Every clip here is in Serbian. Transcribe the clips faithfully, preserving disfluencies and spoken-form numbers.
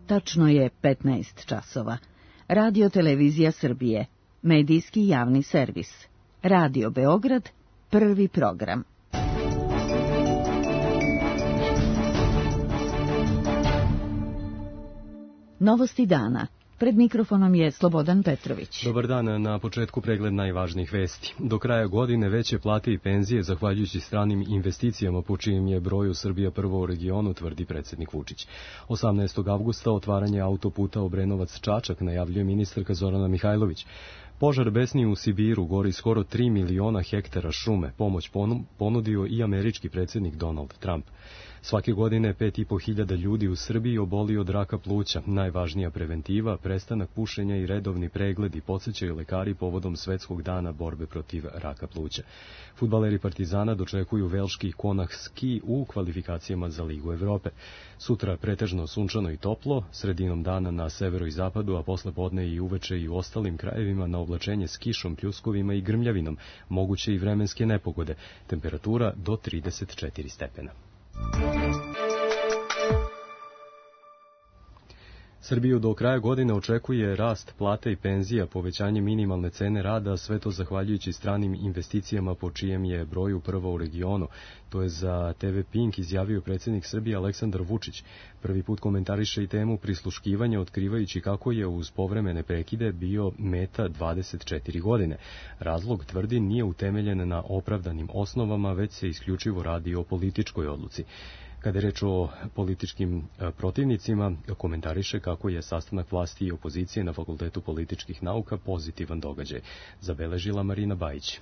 Tačno je petnaest časova. Radio Televizija Srbije, medijski javni servis. Radio Beograd, prvi program. Novosti dana. Pred mikrofonom je Slobodan Petrović. Dobar dan, na početku pregled najvažnijih vesti. Do kraja godine veće plate i penzije zahvaljujući stranim investicijama po čijem je broju Srbija prvo u regionu, tvrdi predsjednik Vučić. osamnaestog avgusta otvaranje autoputa Obrenovac-Čačak najavljuje ministarka Zorana Mihajlović. Požar besni u Sibiru, gori skoro tri miliona hektara šume. Pomoć ponudio i američki predsjednik Donald Trump. Svake godine pet i po hiljada ljudi u Srbiji oboli od raka pluća. Najvažnija preventiva, prestanak pušenja i redovni pregledi, podsjećaju lekari povodom Svetskog dana borbe protiv raka pluća. Fudbaleri Partizana dočekuju velški Konah Ski u kvalifikacijama za Ligu Evrope. Sutra pretežno sunčano i toplo, sredinom dana na severu i zapadu, a posle podne i uveče i u ostalim krajevima na oblačenje s kišom, pljuskovima i grmljavinom, moguće i vremenske nepogode, temperatura do trideset četiri stepena. Srbiju do kraja godine očekuje rast plata i penzija, povećanje minimalne cene rada, sve to zahvaljujući stranim investicijama po čijem je broju prvo u regionu. To je za te ve Pink izjavio predsjednik Srbije Aleksandar Vučić. Prvi put komentariše i temu prisluškivanja, otkrivajući kako je uz povremene prekide bio meta dvadeset četiri godine. Razlog, tvrdi, nije utemeljen na opravdanim osnovama, već se isključivo radi o političkoj odluci. Kada je reč o političkim protivnicima, komentariše kako je sastanak vlasti i opozicije na Fakultetu političkih nauka pozitivan događaj, zabeležila Marina Bajić.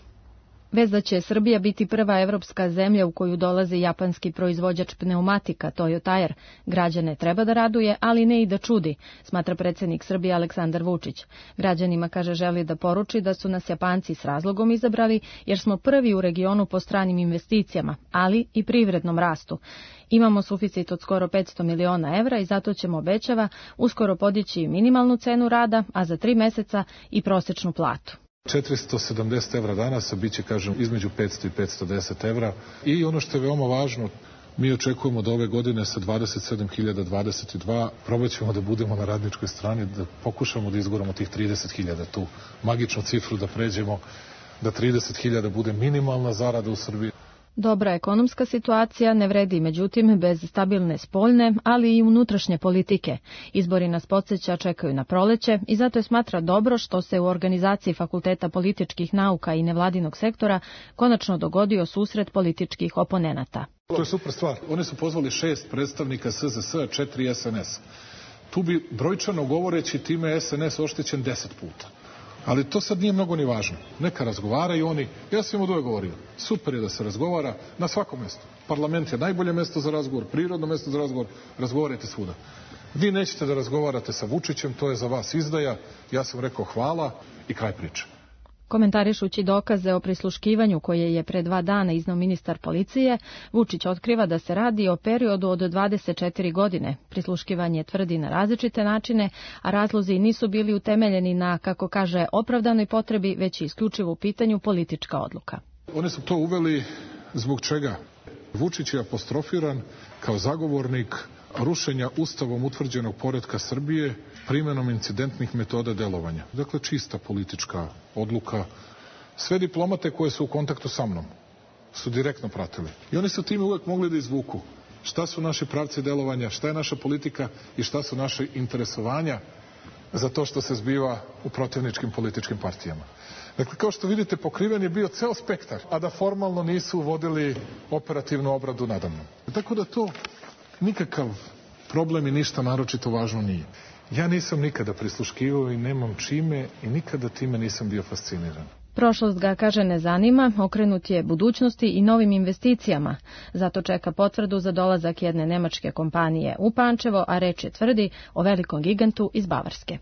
Vez da će Srbija biti prva evropska zemlja u koju dolazi japanski proizvođač pneumatika Toyo Tire, građane treba da raduje, ali ne i da čudi, smatra predsjednik Srbije Aleksandar Vučić. Građanima, kaže, želi da poruči da su nas Japanci s razlogom izabrali, jer smo prvi u regionu po stranim investicijama, ali i privrednom rastu. Imamo suficit od skoro petsto miliona evra i zato ćemo, obećava, uskoro podići minimalnu cenu rada, a za tri meseca i prosečnu platu. četiristo sedamdeset evra danas, a bit će, kažem, između petsto i petsto deset evra. I ono što je veoma važno, mi očekujemo da ove godine sa dvadeset sedam hiljada dvadeset dva probat ćemo da budemo na radničkoj strani, da pokušamo da izguramo tih trideset hiljada, tu magičnu cifru da pređemo, da trideset hiljada bude minimalna zarada u Srbiji. Dobra ekonomska situacija ne vredi, međutim, bez stabilne spoljne, ali i unutrašnje politike. Izbori nas podsjeća čekaju na proleće i zato je smatra dobro što se u organizaciji Fakulteta političkih nauka i nevladinog sektora konačno dogodio susret političkih oponenata. To je super stvar. Oni su pozvali šest predstavnika es ze es, četiri es en es. Tu bi brojčano govoreći time es en es oštećen deset puta. Ali to sad nije mnogo ni važno. Neka razgovaraju oni. Ja sam im od uvek govorio. Super je da se razgovara na svakom mjestu. Parlament je najbolje mjesto za razgovor, prirodno mjesto za razgovor. Razgovarajte svuda. Vi nećete da razgovarate sa Vučićem, to je za vas izdaja. Ja sam rekao hvala i kraj priče. Komentarišući dokaze o prisluškivanju koje je pre dva dana iznao ministar policije, Vučić otkriva da se radi o periodu od dvadeset četiri godine. Prisluškivanje tvrdi na različite načine, a razlozi nisu bili utemeljeni na, kako kaže, opravdanoj potrebi, već isključivo u pitanju politička odluka. Oni su to uveli zbog čega? Vučić je apostrofiran kao zagovornik rušenja ustavom utvrđenog poretka Srbije primjenom incidentnih metoda delovanja. Dakle, čista politička odluka. Sve diplomate koje su u kontaktu sa mnom su direktno pratili. I oni su time uvek mogli da izvuku šta su naši pravci delovanja, šta je naša politika i šta su naše interesovanja za to što se zbiva u protivničkim političkim partijama. Dakle, kao što vidite, pokriven je bio ceo spektar, a da formalno nisu vodili operativnu obradu nadamnom. Tako da to nikakav problem i ništa naročito važno nije. Ja nisam nikada prisluškivao i nemam čime i nikada time nisam bio fasciniran. Prošlost ga, kaže, ne zanima, okrenut je budućnosti i novim investicijama. Zato čeka potvrdu za dolazak jedne nemačke kompanije u Pančevo, a reč je, tvrdi, o velikom gigantu iz Bavarske.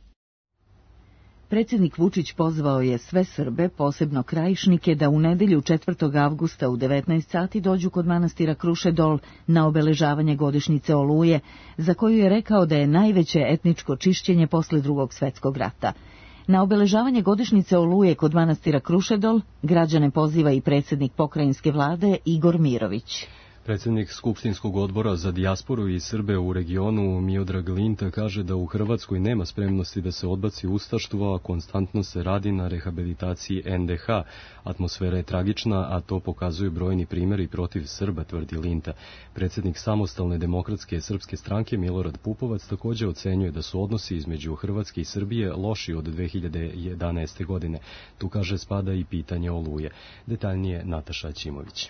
Predsjednik Vučić pozvao je sve Srbe, posebno Krajišnike, da u nedelju četvrtog avgusta u devetnaest sati dođu kod manastira Krušedol na obeležavanje godišnjice Oluje, za koju je rekao da je najveće etničko čišćenje posle Drugog svjetskog rata. Na obeležavanje godišnjice Oluje kod manastira Krušedol građane poziva i predsjednik pokrajinske vlade Igor Mirović. Predsjednik Skupštinskog odbora za dijasporu i Srbe u regionu Miodrag Linta kaže da u Hrvatskoj nema spremnosti da se odbaci ustaštvo, a konstantno se radi na rehabilitaciji en de ha. Atmosfera je tragična, a to pokazuju brojni primjeri protiv Srba, tvrdi Linta. Predsjednik Samostalne demokratske srpske stranke Milorad Pupovac također ocenjuje da su odnosi između Hrvatske i Srbije loši od dve hiljade jedanaeste. godine. Tu, kaže, spada i pitanje Oluje. Detaljnije Nataša Ćimović.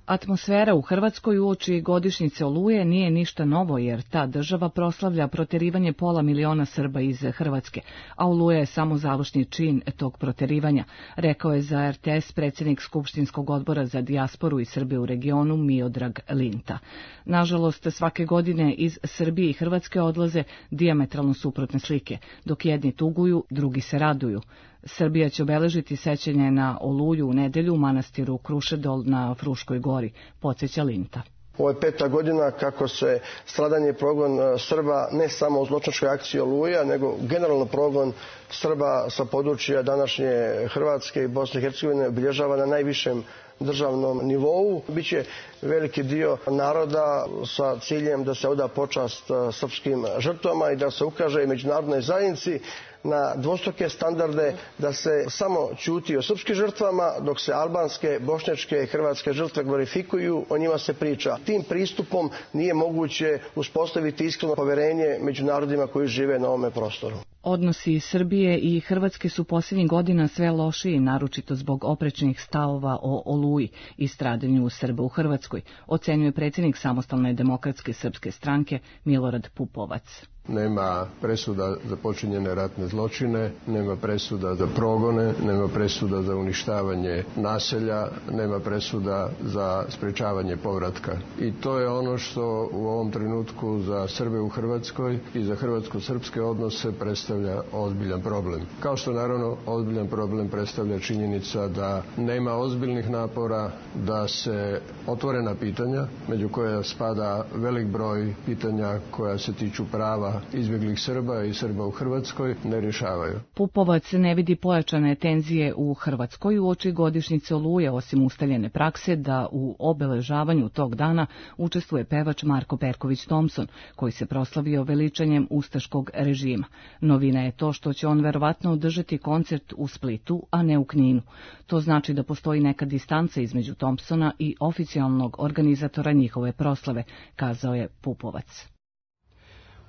Atmosfera u Hrvatskoj uoči godišnjice Oluje nije ništa novo, jer ta država proslavlja proterivanje pola miliona Srba iz Hrvatske, a Oluja je samo završni čin tog proterivanja, rekao je za er te es predsjednik Skupštinskog odbora za dijasporu i Srbe u regionu Miodrag Linta. Nažalost, svake godine iz Srbije i Hrvatske odlaze dijametralno suprotne slike, dok jedni tuguju, drugi se raduju. Srbija će obeležiti sećanje na Oluju u nedelju u manastiru Krušedol na Fruškoj gori, podsjeća Linta. Ovo je peta godina kako se stradanje i progon Srba ne samo u zločinačkoj akciji Oluja, nego generalno progon Srba sa područja današnje Hrvatske i Bosne i Hercegovine obilježava na najvišem državnom nivou. Biće veliki dio naroda sa ciljem da se oda počast srpskim žrtvama i da se ukaže i međunarodnoj zajednici na dvostruke standarde, da se samo ćuti o srpskim žrtvama, dok se albanske, bošnjačke i hrvatske žrtve glorifikuju, o njima se priča. Tim pristupom nije moguće uspostaviti iskreno poverenje među narodima koji žive na ovome prostoru. Odnosi Srbije i Hrvatske su posljednjih godina sve lošiji, naročito zbog oprečnih stavova o Oluji i stradanju Srba u Hrvatskoj, ocenjuje predsjednik Samostalne demokratske srpske stranke Milorad Pupovac. Nema presuda za počinjene ratne zločine, nema presuda za progone, nema presuda za uništavanje naselja, nema presuda za sprečavanje povratka. I to je ono što u ovom trenutku za Srbe u Hrvatskoj i za hrvatsko-srpske odnose predstavlja ozbiljan problem. Kao što naravno ozbiljan problem predstavlja činjenica da nema ozbiljnih napora da se otvorena pitanja, među koje spada velik broj pitanja koja se tiču prava izbjeglih Srba i Srba u Hrvatskoj, ne rješavaju. Pupovac ne vidi pojačane tenzije u Hrvatskoj uoči godišnjice Oluje, osim ustaljene prakse da u obeležavanju tog dana učestvuje pevač Marko Perković Thompson, koji se proslavio veličanjem ustaškog režima. Novina je to što će on verovatno održati koncert u Splitu, a ne u Kninu. To znači da postoji neka distanca između Thompsona i oficijalnog organizatora njihove proslave, kazao je Pupovac.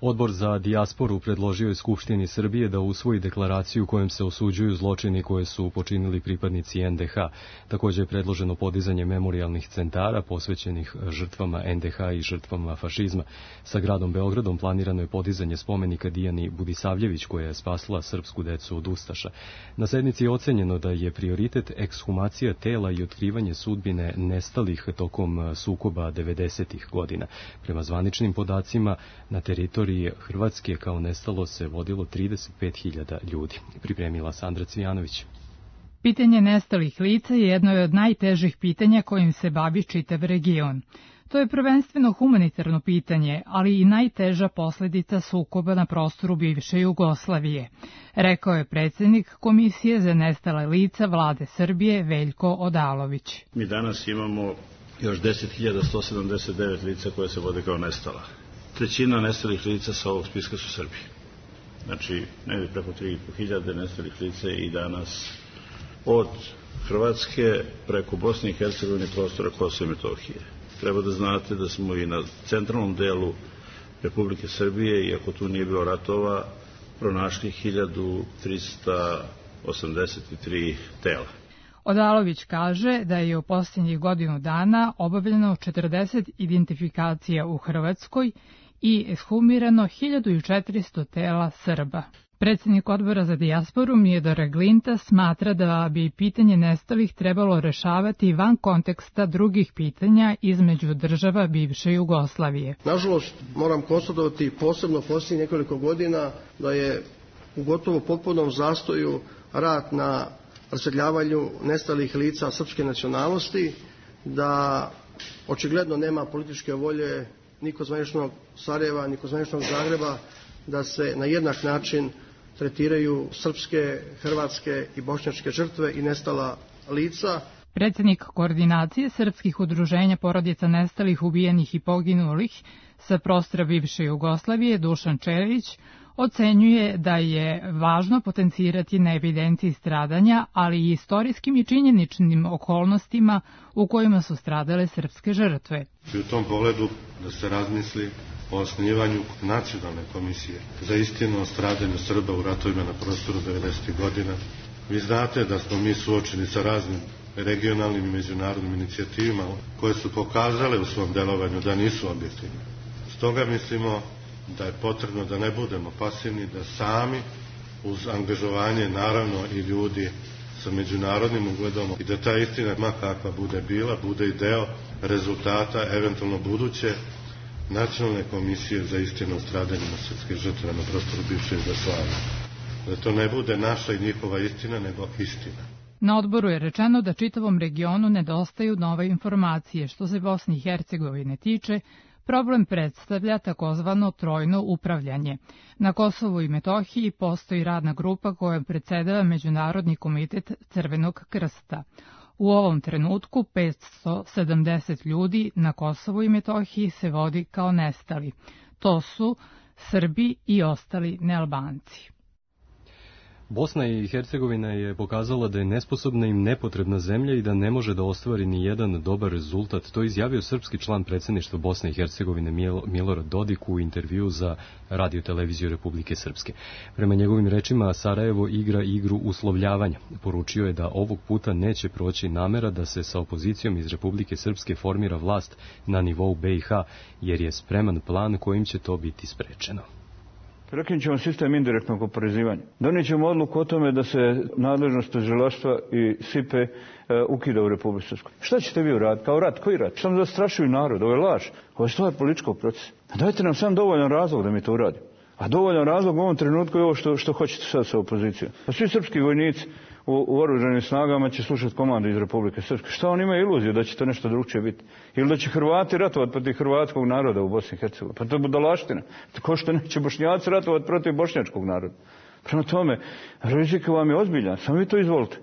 Odbor za dijasporu predložio je Skupštini Srbije da usvoji deklaraciju kojom se osuđuju zločini koje su počinili pripadnici en de ha. Također je predloženo podizanje memorijalnih centara posvećenih žrtvama en de ha i žrtvama fašizma. Sa gradom Beogradom planirano je podizanje spomenika Dijani Budisavljević, koja je spasila srpsku decu od ustaša. Na sednici je ocenjeno da je prioritet ekshumacija tela i otkrivanje sudbine nestalih tokom sukoba devedesetih godina. Prema zvaničnim podacima, na teritoriji Hrvatske kao nestalo se vodilo trideset pet hiljada ljudi. Pripremila Sandra Cvijanović. Pitanje nestalih lica je jedno od najtežih pitanja kojim se bavi čitav region. To je prvenstveno humanitarno pitanje, ali i najteža posljedica sukoba na prostoru bivše Jugoslavije, rekao je predsjednik Komisije za nestala lica Vlade Srbije Veljko Odalović. Mi danas imamo još deset hiljada sto sedamdeset devet lica koje se vode kao nestala. Trećina nestalih lica sa ovog spiska su Srbi. Znači, negdje preko tri i po hiljade nestalih lica i danas od Hrvatske preko Bosne i Hercegovine prostora Kosova i Metohije. Treba da znate da smo i na centralnom delu Republike Srbije, iako tu nije bilo ratova, pronašli hiljadu trista osamdeset tri tela. Odalović kaže da je u posljednjih godinu dana obavljeno četrdeset identifikacija u Hrvatskoj i ekshumirano hiljadu četiristo tela Srba. Predsjednik odbora za dijasporu Miodrag Linta smatra da bi pitanje nestalih trebalo rešavati van konteksta drugih pitanja između država bivše Jugoslavije. Nažalost, moram konstatovati posebno posljednjih nekoliko godina da je u gotovo potpunom zastoju rad na raseljavanju nestalih lica srpske nacionalnosti, da očigledno nema političke volje ni kod zvaničnog Sarajeva, ni kod zvaničnog Zagreba da se na jednak način tretiraju srpske, hrvatske i bošnjačke žrtve i nestala lica. Predsjednik koordinacije srpskih udruženja porodica nestalih, ubijenih i poginulih sa prostora bivše Jugoslavije, Dušan Čelić, ocenjuje da je važno potencirati na evidenciji stradanja, ali i istorijskim i činjeničnim okolnostima u kojima su stradale srpske žrtve. I u tom pogledu da se razmisli o osnivanju nacionalne komisije za istinu o stradanju Srba u ratovima na prostoru devedesetih godina. Vi znate da smo mi suočeni sa raznim regionalnim i međunarodnim inicijativima koje su pokazale u svom delovanju da nisu objektivne. Stoga mislimo da je potrebno da ne budemo pasivni, da sami uz angažovanje naravno i ljudi sa međunarodnim ugledom i da ta istina, ma kakva bude bila, bude i deo rezultata eventualno buduće nacionalne komisije za istinu o stradanjima srpskih žrtava na prostoru bivše Jugoslavije. Da to ne bude naša i njihova istina, nego istina. Na odboru je rečeno da čitavom regionu nedostaju nove informacije. Što se Bosne i Hercegovine tiče, problem predstavlja takozvano trojno upravljanje. Na Kosovu i Metohiji postoji radna grupa kojom predsedava Međunarodni komitet Crvenog krsta. U ovom trenutku petsto sedamdeset ljudi na Kosovu i Metohiji se vodi kao nestali. To su Srbi i ostali nealbanci. Bosna i Hercegovina je pokazala da je nesposobna i nepotrebna zemlja i da ne može da ostvari ni jedan dobar rezultat. To je izjavio srpski član predsjedništva Bosne i Hercegovine Milorad Dodik u intervju za Radio-televiziju Republike Srpske. Prema njegovim rečima, Sarajevo igra igru uslovljavanja. Poručio je da ovog puta neće proći namera da se sa opozicijom iz Republike Srpske formira vlast na nivou B i H, jer je spreman plan kojim će to biti sprečeno. Prekinut ćemo sistem indirektnog oporezivanja. Donijet ćemo odluku o tome da se nadležnost tužilaštva i S I P E ukida u Republici Srpskoj. Šta ćete vi uraditi? Kao rat? Koji rat? Šta nam zastrašuju narod? Ovo je laž. Ovo je stvar političkog procesa. Dajte nam sam dovoljan razlog da mi to uradimo. A dovoljan razlog u ovom trenutku je ovo što, što hoćete sad sa opozicijom. Pa svi srpski vojnici u, u oružanim snagama će slušati komande iz Republike Srpske. Šta on ima iluziju da će to nešto drugčije biti? Ili da će Hrvati ratovati protiv hrvatskog naroda u Bosni i Hercegovini? Pa to je budalaština. Tako što neće Bošnjaci ratovati protiv bošnjačkog naroda. Prema tome, rizik vam je ozbiljan. Samo vi to izvolite.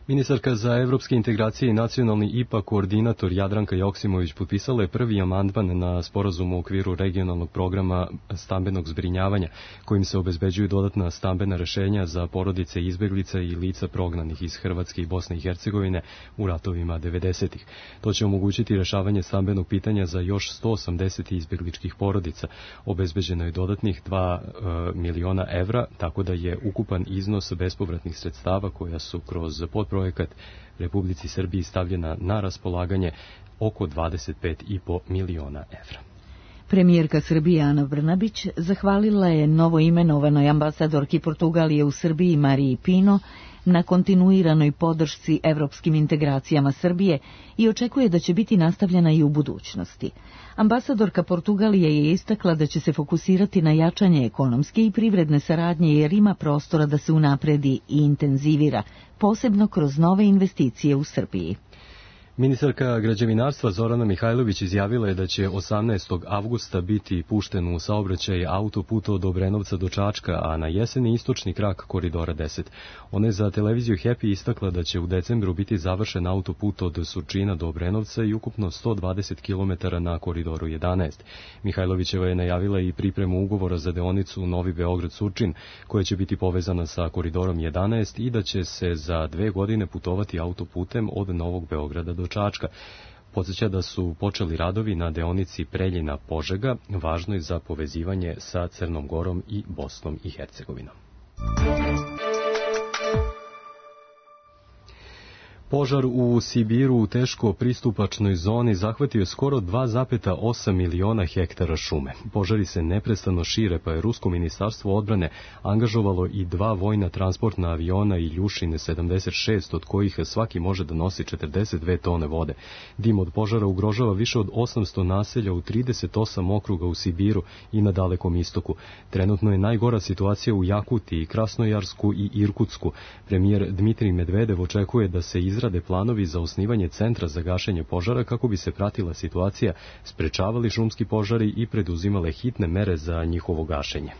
Ministarka za evropske integracije i nacionalni I P A koordinator Jadranka Joksimović potpisala je prvi amandman na sporazum u okviru regionalnog programa stambenog zbrinjavanja, kojim se obezbeđuju dodatna stambena rešenja za porodice izbeglica i lica prognanih iz Hrvatske i Bosne i Hercegovine u ratovima devedesetih. To će omogućiti rešavanje stambenog pitanja za još sto osamdeset izbegličkih porodica. Obezbeđeno je dodatnih dva miliona evra, tako da je ukupan iznos bespovratnih sredstava koja su kroz podprojekat Republici Srbiji stavljena na raspolaganje oko dvadeset pet i po miliona evra. Premijerka Srbije Ana Brnabić zahvalila je novoimenovanoj ambasadorki Portugalije u Srbiji Mariji Pino na kontinuiranoj podršci evropskim integracijama Srbije i očekuje da će biti nastavljena i u budućnosti. Ambasadorka Portugalije je istakla da će se fokusirati na jačanje ekonomske i privredne saradnje jer ima prostora da se unapredi i intenzivira, posebno kroz nove investicije u Srbiji. Ministarka građevinarstva Zorana Mihajlović izjavila je da će osamnaestog avgusta biti pušten u saobraćaj autoput od Obrenovca do Čačka, a na jeseni istočni krak koridora deset. Ona je za televiziju Happy istakla da će u decembru biti završen autoput od Surčina do Obrenovca i ukupno sto dvadeset kilometara na koridoru jedanaest. Mihajlovićeva je najavila i pripremu ugovora za deonicu Novi Beograd-Surčin, koja će biti povezana sa koridorom jedanaest i da će se za dve godine putovati autoputem od Novog Beograda do Čačka. Podsjeća da su počeli radovi na deonici Preljina-Požega, važnoj za povezivanje sa Crnom Gorom i Bosnom i Hercegovinom. Požar u Sibiru u teško pristupačnoj zoni zahvatio je skoro dva zarez osam miliona hektara šume. Požari se neprestano šire, pa je Rusko ministarstvo odbrane angažovalo i dva vojna transportna aviona i Ljušine sedamdeset šest, od kojih svaki može da nosi četrdeset dve tone vode. Dim od požara ugrožava više od osamsto naselja u trideset osam okruga u Sibiru i na Dalekom istoku. Trenutno je najgora situacija u Jakutiji, Krasnojarsku i Irkutsku. Premijer Dmitrij Medvedev očekuje da se izrade planovi za osnivanje centra za gašenje požara kako bi se pratila situacija, sprečavali šumski požari i preduzimale hitne mere za njihovo gašenje.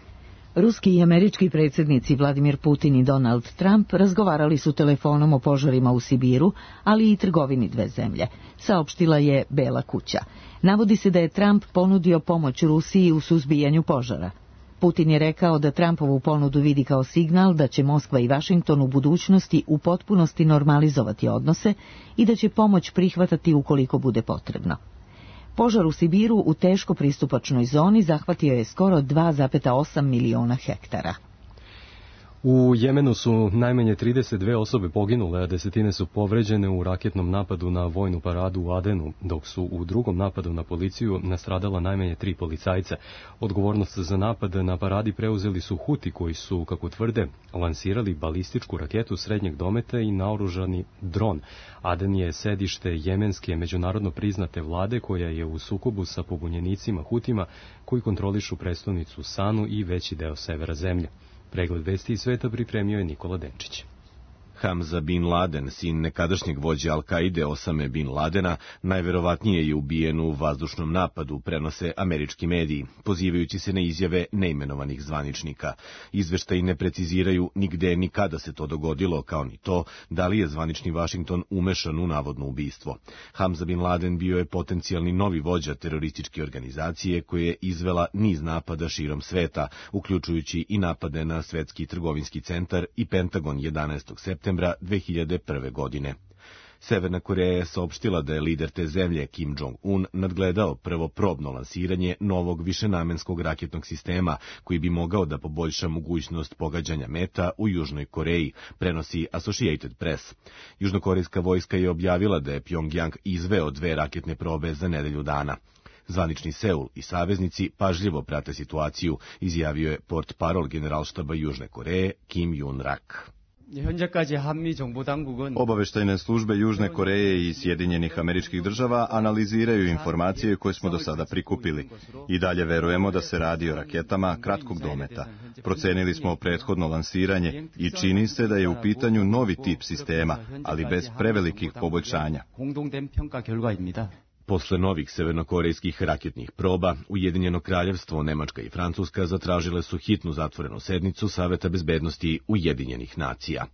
Ruski i američki predsjednici Vladimir Putin i Donald Trump razgovarali su telefonom o požarima u Sibiru, ali i trgovini dve zemlje, saopštila je Bela kuća. Navodi se da je Trump ponudio pomoć Rusiji u suzbijanju požara. Putin je rekao da Trumpovu ponudu vidi kao signal da će Moskva i Vašington u budućnosti u potpunosti normalizovati odnose i da će pomoć prihvatati ukoliko bude potrebno. Požar u Sibiru u teško pristupačnoj zoni zahvatio je skoro dva zarez osam miliona hektara. U Jemenu su najmanje trideset dve osobe poginule, a desetine su povređene u raketnom napadu na vojnu paradu u Adenu, dok su u drugom napadu na policiju nastradala najmanje tri policajca. Odgovornost za napad na paradi preuzeli su Huti koji su, kako tvrde, lansirali balističku raketu srednjeg dometa i naoružani dron. Aden je sedište jemenske međunarodno priznate vlade koja je u sukobu sa pobunjenicima Hutima koji kontrolišu prestonicu Sanu i veći deo severa zemlje. Pregled vesti iz sveta pripremio je Nikola Denčić. Hamza bin Laden, sin nekadašnjeg vođe Al-Kaide Osame bin Ladena, najverovatnije je ubijen u vazdušnom napadu, prenose američki mediji, pozivajući se na izjave neimenovanih zvaničnika. Izveštaji ne preciziraju ni gde ni kada se to dogodilo, kao ni to da li je zvanični Vašington umešan u navodno ubistvo. Hamza bin Laden bio je potencijalni novi vođa terorističke organizacije koja je izvela niz napada širom sveta, uključujući i napade na Svetski trgovinski centar i Pentagon jedanaestog septembra dve hiljade prve. godine. Severna Koreja je saopštila da je lider te zemlje, Kim Jong-un, nadgledao prvo probno lansiranje novog višenamenskog raketnog sistema, koji bi mogao da poboljša mogućnost pogađanja meta u Južnoj Koreji, prenosi Associated Press. Južnokorejska vojska je objavila da je Pjongjang izveo dve raketne probe za nedelju dana. Zvanični Seul i saveznici pažljivo prate situaciju, izjavio je portparol generalštaba Južne Koreje Kim Yun-rak. Obaveštajne službe Južne Koreje i Sjedinjenih Američkih Država analiziraju informacije koje smo do sada prikupili. I dalje verujemo da se radi o raketama kratkog dometa. Procenili smo prethodno lansiranje i čini se da je u pitanju novi tip sistema, ali bez prevelikih poboljšanja. Posle novih severnokorejskih raketnih proba, Ujedinjeno kraljevstvo, Nemačka i Francuska zatražile su hitnu zatvorenu sednicu Saveta bezbednosti Ujedinjenih nacija.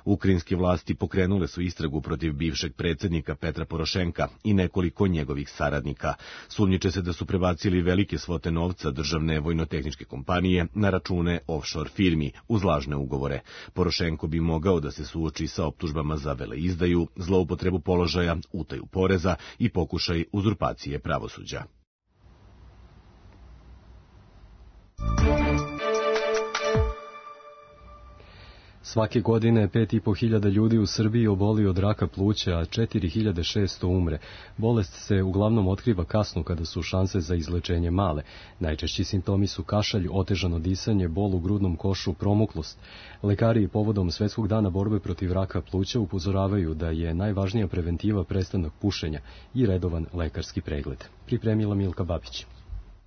Ukrajinske vlasti pokrenule su istragu protiv bivšeg predsjednika Petra Porošenka i nekoliko njegovih saradnika. Sumnjiče se da su prebacili velike svote novca državne vojnotehničke kompanije na račune offshore firmi uz lažne ugovore. Porošenko bi mogao da se suoči sa optužbama za veleizdaju, zloupotrebu položaja, utaju poreza i pokušaj uzurpacije pravosuđa. Svake godine pet i po hiljada ljudi u Srbiji oboli od raka pluća, a četiri hiljade šesto umre. Bolest se uglavnom otkriva kasno kada su šanse za izlečenje male. Najčešći simptomi su kašalj, otežano disanje, bol u grudnom košu, promuklost. Lekari povodom Svetskog dana borbe protiv raka pluća upozoravaju da je najvažnija preventiva prestanak pušenja i redovan lekarski pregled. Pripremila Milka Babić.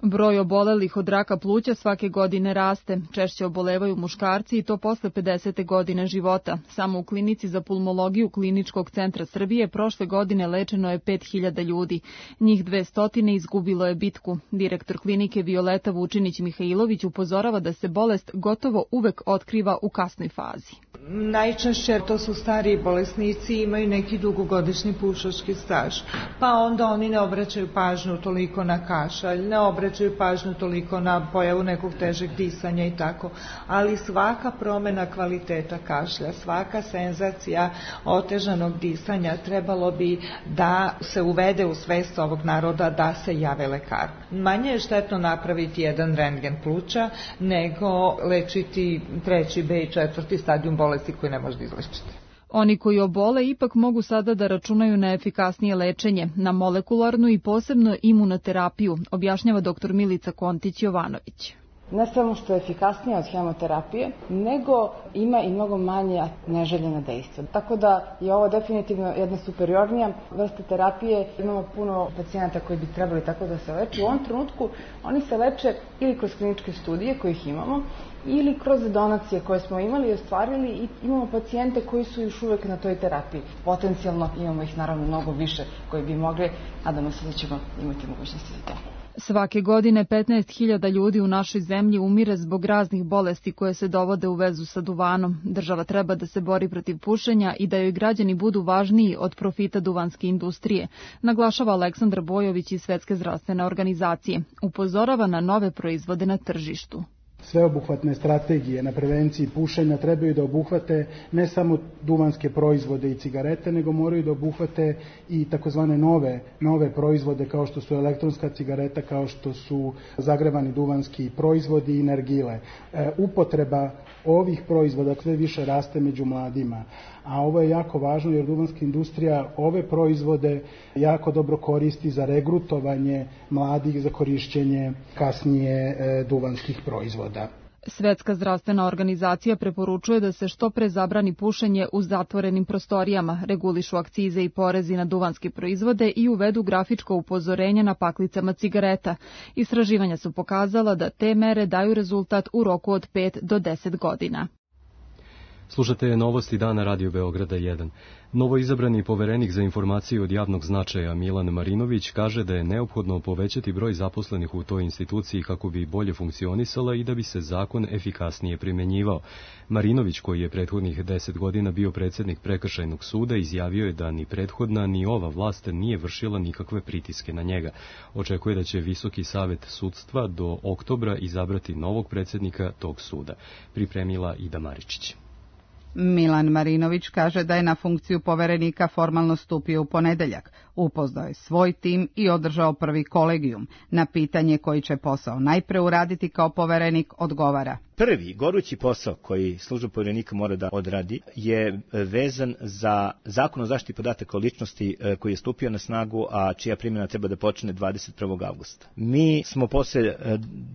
Broj obolelih od raka pluća svake godine raste. Češće obolevaju muškarci i to posle pedesete godine života. Samo u klinici za pulmologiju Kliničkog centra Srbije prošle godine lečeno je pet hiljada ljudi. Njih dvesta izgubilo je bitku. Direktor klinike Violeta Vučinić-Mihajlović upozorava da se bolest gotovo uvek otkriva u kasnoj fazi. Najčešće to su stariji bolesnici i imaju neki dugogodišnji pušački staž. Pa onda oni ne obraćaju pažnju toliko na kašalj, ne obraćaju pažnju toliko na pojavu nekog težeg disanja i tako. Ali svaka promjena kvaliteta kašlja, svaka senzacija otežanog disanja trebalo bi da se uvede u svest ovog naroda da se jave lekar. Manje je štetno napraviti jedan rentgen pluća nego lečiti treći B i četvrti stadijum bolesti koji ne može da izlečiti. Oni koji obole ipak mogu sada da računaju na efikasnije lečenje, na molekularnu i posebno imunoterapiju, objašnjava doktor Milica Kontić-Jovanović. Ne samo što je efikasnija od hemoterapije, nego ima i mnogo manje neželjena dejstva. Tako da je ovo definitivno jedna superiornija vrsta terapije. Imamo puno pacijenata koji bi trebali tako da se leče. U ovom trenutku oni se leče ili kroz kliničke studije kojih imamo, ili kroz donacije koje smo imali i ostvarili i imamo pacijente koji su još uvek na toj terapiji. Potencijalno imamo ih naravno mnogo više koji bi mogli, nadamo se da ćemo imati mogućnosti za to. Svake godine petnaest hiljada ljudi u našoj zemlji umire zbog raznih bolesti koje se dovode u vezu sa duvanom. Država treba da se bori protiv pušenja i da joj građani budu važniji od profita duvanske industrije, naglašava Aleksandar Bojović iz Svetske zdravstvene organizacije. Upozorava na nove proizvode na tržištu. Sveobuhvatne strategije na prevenciji pušenja trebaju da obuhvate ne samo duvanske proizvode i cigarete, nego moraju da obuhvate i takozvane nove, nove proizvode kao što su elektronska cigareta, kao što su zagrevani duvanski proizvodi i nargile. E, upotreba ovih proizvoda sve više raste među mladima, a ovo je jako važno jer duvanska industrija ove proizvode jako dobro koristi za regrutovanje mladih za korišćenje kasnije e, duvanskih proizvoda. Svetska zdravstvena organizacija preporučuje da se što pre zabrani pušenje u zatvorenim prostorijama, regulišu akcize i porezi na duvanske proizvode i uvedu grafičko upozorenje na paklicama cigareta. Istraživanja su pokazala da te mere daju rezultat u roku od pet do deset godina. Slušate novosti dana Radio Beograda jedan. Novoizabrani poverenik za informacije od javnog značaja Milan Marinović kaže da je neophodno povećati broj zaposlenih u toj instituciji kako bi bolje funkcionisala i da bi se zakon efikasnije primenjivao. Marinović, koji je prethodnih deset godina bio predsjednik Prekršajnog suda, izjavio je da ni prethodna ni ova vlast nije vršila nikakve pritiske na njega. Očekuje da će Visoki savet sudstva do oktobra izabrati novog predsjednika tog suda. Pripremila Ida Maričić. Milan Marinović kaže da je na funkciju poverenika formalno stupio u ponedeljak. Upoznao je svoj tim i održao prvi kolegijum. Na pitanje koji će posao najpre uraditi kao poverenik odgovara. Prvi gorući posao koji služba poverenika mora da odradi je vezan za Zakon o zaštiti podataka o ličnosti koji je stupio na snagu, a čija primjena treba da počne dvadeset prvog avgusta. Mi smo posle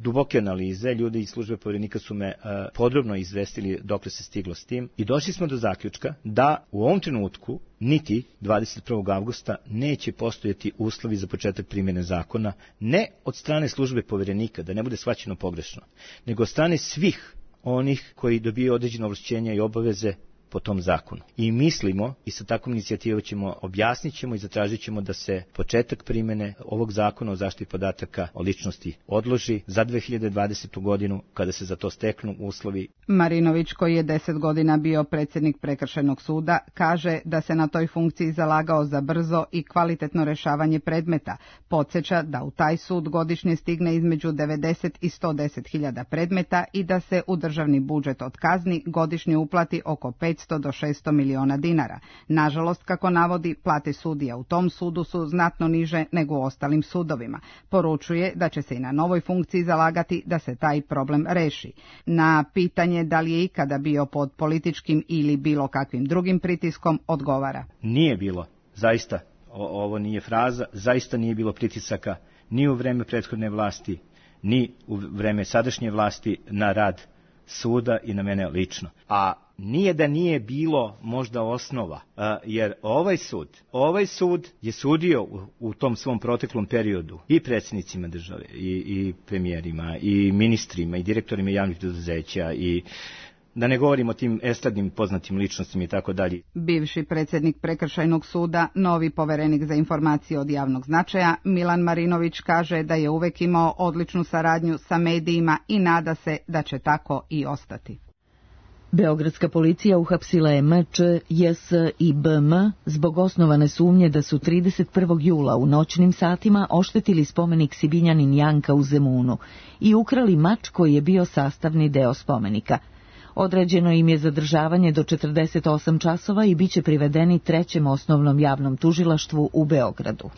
duboke analize, ljudi iz službe poverenika su me podrobno izvestili dokle se stiglo s tim i došli smo do zaključka da u ovom trenutku niti dvadeset prvog avgusta neće postojati uslovi za početak primjene zakona, ne od strane službe poverenika, da ne bude shvaćeno pogrešno, nego od strane svih onih koji dobiju određene ovlašćenja i obaveze po tom zakonu. I mislimo, i sa takvom inicijativom ćemo, objasnit ćemo i zatražit ćemo da se početak primjene ovog zakona o zaštiti podataka o ličnosti odloži za dve hiljade dvadesetu godinu, kada se za to steknu uslovi. Marinović, koji je deset godina bio predsjednik Prekršajnog suda, kaže da se na toj funkciji zalagao za brzo i kvalitetno rešavanje predmeta. Podsjeća da u taj sud godišnje stigne između devedeset i sto deset hiljada predmeta i da se u državni budžet od kazni godišnje uplati oko petsto do šesto miliona dinara. Nažalost, kako navodi, plate sudija u tom sudu su znatno niže nego u ostalim sudovima. Poručuje da će se i na novoj funkciji zalagati da se taj problem reši. Na pitanje da li je ikada bio pod političkim ili bilo kakvim drugim pritiskom, odgovara. Nije bilo, zaista, o, ovo nije fraza, zaista nije bilo pritisaka ni u vreme prethodne vlasti, ni u vreme sadašnje vlasti na rad suda i na mene lično. A nije da nije bilo možda osnova, jer ovaj sud, ovaj sud je sudio u, u tom svom proteklom periodu i predsjednicima države, i, i premijerima, i ministrima, i direktorima javnih preduzeća, i da ne govorimo o tim estradnim poznatim ličnostima i tako dalje. Bivši predsjednik Prekršajnog suda, novi poverenik za informacije od javnog značaja, Milan Marinović kaže da je uvek imao odličnu saradnju sa medijima i nada se da će tako i ostati. Beogradska policija uhapsila je M Č, J S i B M zbog osnovane sumnje da su trideset prvog jula u noćnim satima oštetili spomenik Sibinjanin Janka u Zemunu i ukrali mač koji je bio sastavni deo spomenika. Određeno im je zadržavanje do četrdeset osam časova i bit će privedeni trećem osnovnom javnom tužilaštvu u Beogradu.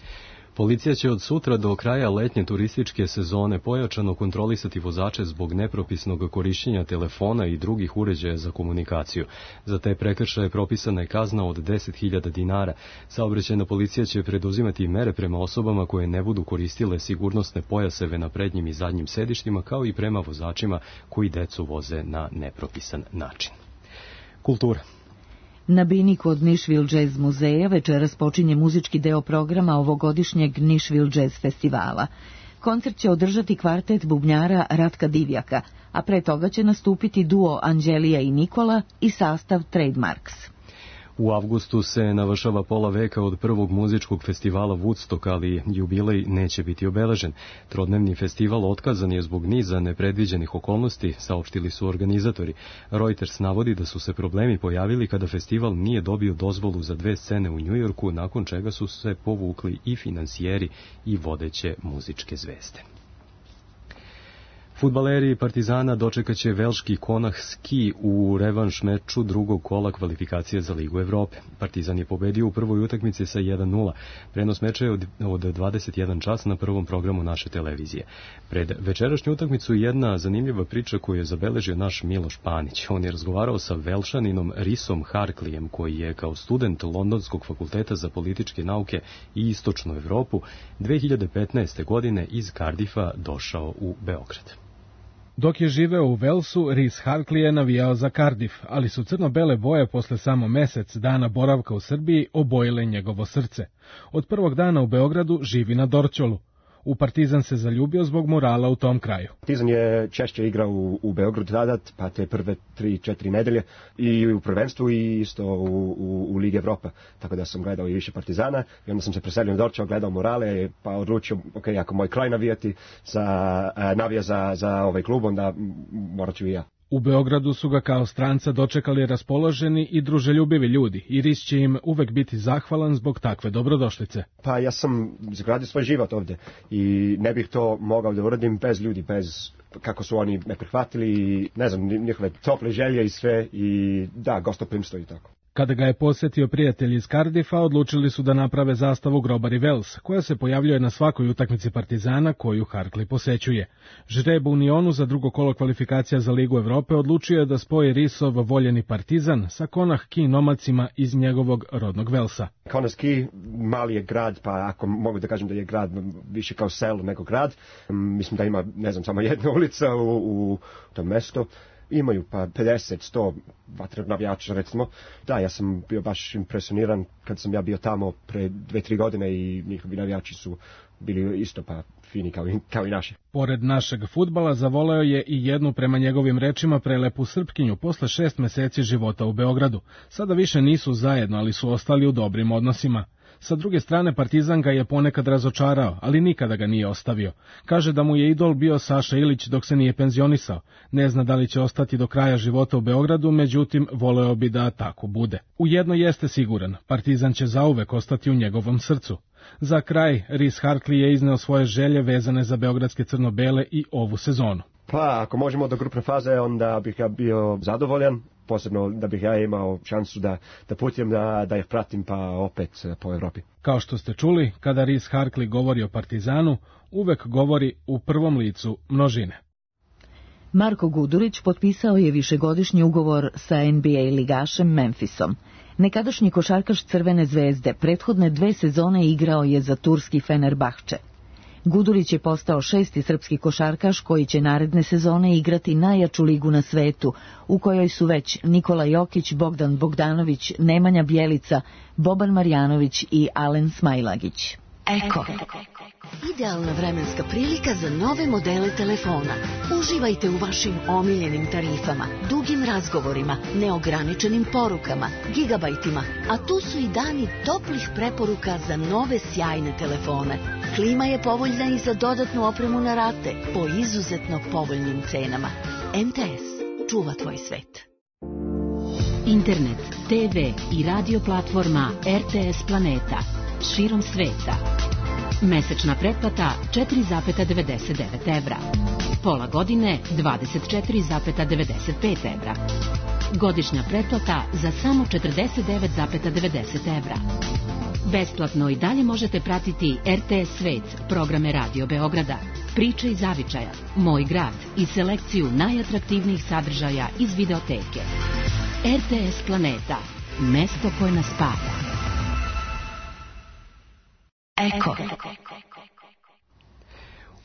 Policija će od sutra do kraja letnje turističke sezone pojačano kontrolisati vozače zbog nepropisnog korišćenja telefona i drugih uređaja za komunikaciju. Za te prekršaje propisana je kazna od deset hiljada dinara. Saobraćajna policija će preduzimati mere prema osobama koje ne budu koristile sigurnosne pojaseve na prednjim i zadnjim sedištima, kao i prema vozačima koji decu voze na nepropisan način. Kultura. Na bini kod Nišvil Jazz muzeja večeras počinje muzički deo programa ovogodišnjeg Nišvil Jazz festivala. Koncert će održati kvartet bubnjara Ratka Divjaka, a pre toga će nastupiti duo Anđelija i Nikola i sastav Trademarks. U avgustu se navršava pola veka od prvog muzičkog festivala Woodstock, ali jubilej neće biti obeležen. Trodnevni festival otkazan je zbog niza nepredviđenih okolnosti, saopštili su organizatori. Reuters navodi da su se problemi pojavili kada festival nije dobio dozvolu za dve scene u Njujorku, nakon čega su se povukli i finansijeri i vodeće muzičke zvezde. Fudbaleri Partizana dočekaće velški Konah Ski u revanš meču drugog kola kvalifikacije za Ligu Evrope. Partizan je pobedio u prvoj utakmici sa jedan nula. Prenos meča je od, od dvadeset jedan čas na prvom programu naše televizije. Pred večerašnju utakmicu jedna zanimljiva priča koju je zabeležio naš Miloš Panić. On je razgovarao sa Velšaninom Risom Harklijem, koji je kao student Londonskog fakulteta za političke nauke i istočnu Evropu dve hiljade petnaeste. godine iz Cardiffa došao u Beograd. Dok je živeo u Velsu, Rhys Harkley je navijao za Cardiff, ali su crno-bele boje posle samo mesec dana boravka u Srbiji obojile njegovo srce. Od prvog dana u Beogradu živi na Dorćolu. U Partizan se zaljubio zbog morala u tom kraju. Partizan je češće igrao u, u Beogradu tada, pa te prve tri, četiri nedelje, i u prvenstvu i isto u, u, u Ligi Evropa. Tako da sam gledao i više Partizana i onda sam se preselio na Dorćol, gledao morale, pa odlučio, ok, ako moj kraj navijati za, navija za, za ovaj klub, onda morat ću i ja. U Beogradu su ga kao stranca dočekali raspoloženi i druželjubivi ljudi i Rhys će im uvek biti zahvalan zbog takve dobrodošlice. Pa ja sam izgradio svoj život ovde i ne bih to mogao da uradim bez ljudi, bez kako su oni me prihvatili i ne znam, njihove tople želje i sve i da, gostoprimstvo i tako. Kada ga je posjetio prijatelj iz Cardiffa, odlučili su da naprave zastavu Grobari Vels, koja se pojavljuje na svakoj utakmici Partizana koju Harkley posećuje. Žreb u Unionu za drugo kolo kvalifikacija za Ligu Evrope odlučio je da spoji Rhysov voljeni Partizan sa Konah Ski nomacima iz njegovog rodnog Velsa. Konah Ski mali je grad, pa ako mogu da kažem da je grad više kao selo nego grad, mislim da ima, ne znam, samo jedna ulica u, u tom mestu. Imaju pa pedeset, sto vatrenog navijača, recimo. Da, ja sam bio baš impresioniran kad sam ja bio tamo pre dve, tri godine i njihovi navijači su bili isto pa fini kao i, kao i naši. Pored našeg fudbala zavoleo je i jednu, prema njegovim rečima, prelepu Srpkinju posle šest meseci života u Beogradu. Sada više nisu zajedno, ali su ostali u dobrim odnosima. Sa druge strane, Partizan ga je ponekad razočarao, ali nikada ga nije ostavio. Kaže da mu je idol bio Saša Ilić dok se nije penzionisao. Ne zna da li će ostati do kraja života u Beogradu, međutim, voleo bi da tako bude. U jedno jeste siguran, Partizan će zauvek ostati u njegovom srcu. Za kraj, Rhys Harkley je izneo svoje želje vezane za beogradske crno-bele i ovu sezonu. Pa, ako možemo do grupne faze, onda bih ja bio zadovoljan. Posebno da bih ja imao šansu da, da putujem, da, da ih pratim pa opet po Evropi. Kao što ste čuli, kada Rhys Harkley govori o Partizanu, uvek govori u prvom licu množine. Marko Gudurić potpisao je višegodišnji ugovor sa N B A ligašem Memphisom. Nekadašnji košarkaš Crvene zvezde prethodne dve sezone igrao je za turski Fenerbahče. Gudurić je postao šesti srpski košarkaš koji će naredne sezone igrati najjaču ligu na svetu, u kojoj su već Nikola Jokić, Bogdan Bogdanović, Nemanja Bjelica, Boban Marjanović i Alen Smailagić. Eko. Idealna vremenska prilika za nove modele telefona. Uživajte u vašim omiljenim tarifama, dugim razgovorima, neograničenim porukama, gigabajtima, a tu su i dani toplih preporuka za nove sjajne telefone. Klima je povoljna i za dodatnu opremu na rate po izuzetno povoljnim cenama. M T S čuva tvoj svet. Internet, te ve i radio platforma R T S Planeta širom sveta. Mesečna pretplata četiri zarez devedeset devet evra. Pola godine dvadeset četiri zarez devedeset pet evra. Godišnja pretplata za samo četrdeset devet zarez devedeset evra. Besplatno i dalje možete pratiti R T S Svet, programe Radio Beograda, Priče iz Zavičaja, Moj grad i selekciju najatraktivnijih sadržaja iz videoteke. R T S Planeta, mesto koje nas spaja. Eko.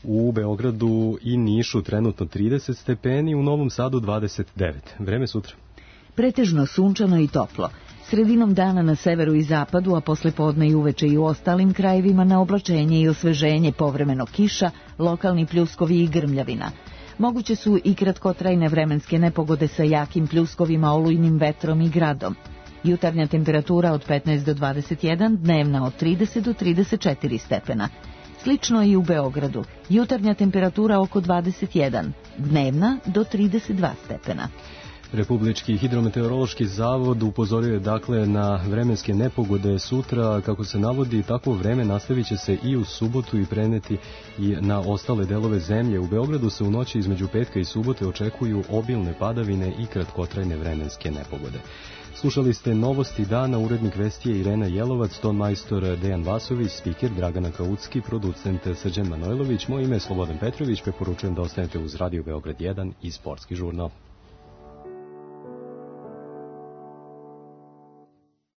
U Beogradu i Nišu trenutno trideset stepeni, u Novom Sadu dvadeset devet. Vreme sutra. Pretežno sunčano i toplo. Sredinom dana na severu i zapadu, a posle podne i uveče i u ostalim krajevima na oblačenje i osveženje, povremeno kiša, lokalni pljuskovi i grmljavina. Moguće su i kratkotrajne vremenske nepogode sa jakim pljuskovima, olujnim vetrom i gradom. Jutarnja temperatura od petnaest do dvadeset jedan, dnevna od trideset do trideset četiri stepena. Slično i u Beogradu. Jutarnja temperatura oko dvadeset jedan, dnevna do trideset dva stepena. Republički hidrometeorološki zavod upozorio je dakle na vremenske nepogode sutra. Kako se navodi, takvo vreme nastavit će se i u subotu i preneti i na ostale delove zemlje. U Beogradu se u noći između petka i subote očekuju obilne padavine i kratkotrajne vremenske nepogode. Slušali ste novosti dana, urednik vesti je Irena Jelovac, ton majstor Dejan Vasović, spiker Dragana Kaucki, producent Srđan Manojlović. Moje ime je Slobodan Petrović, preporučujem da ostanete uz Radio Beograd jedan i Sportski žurnal.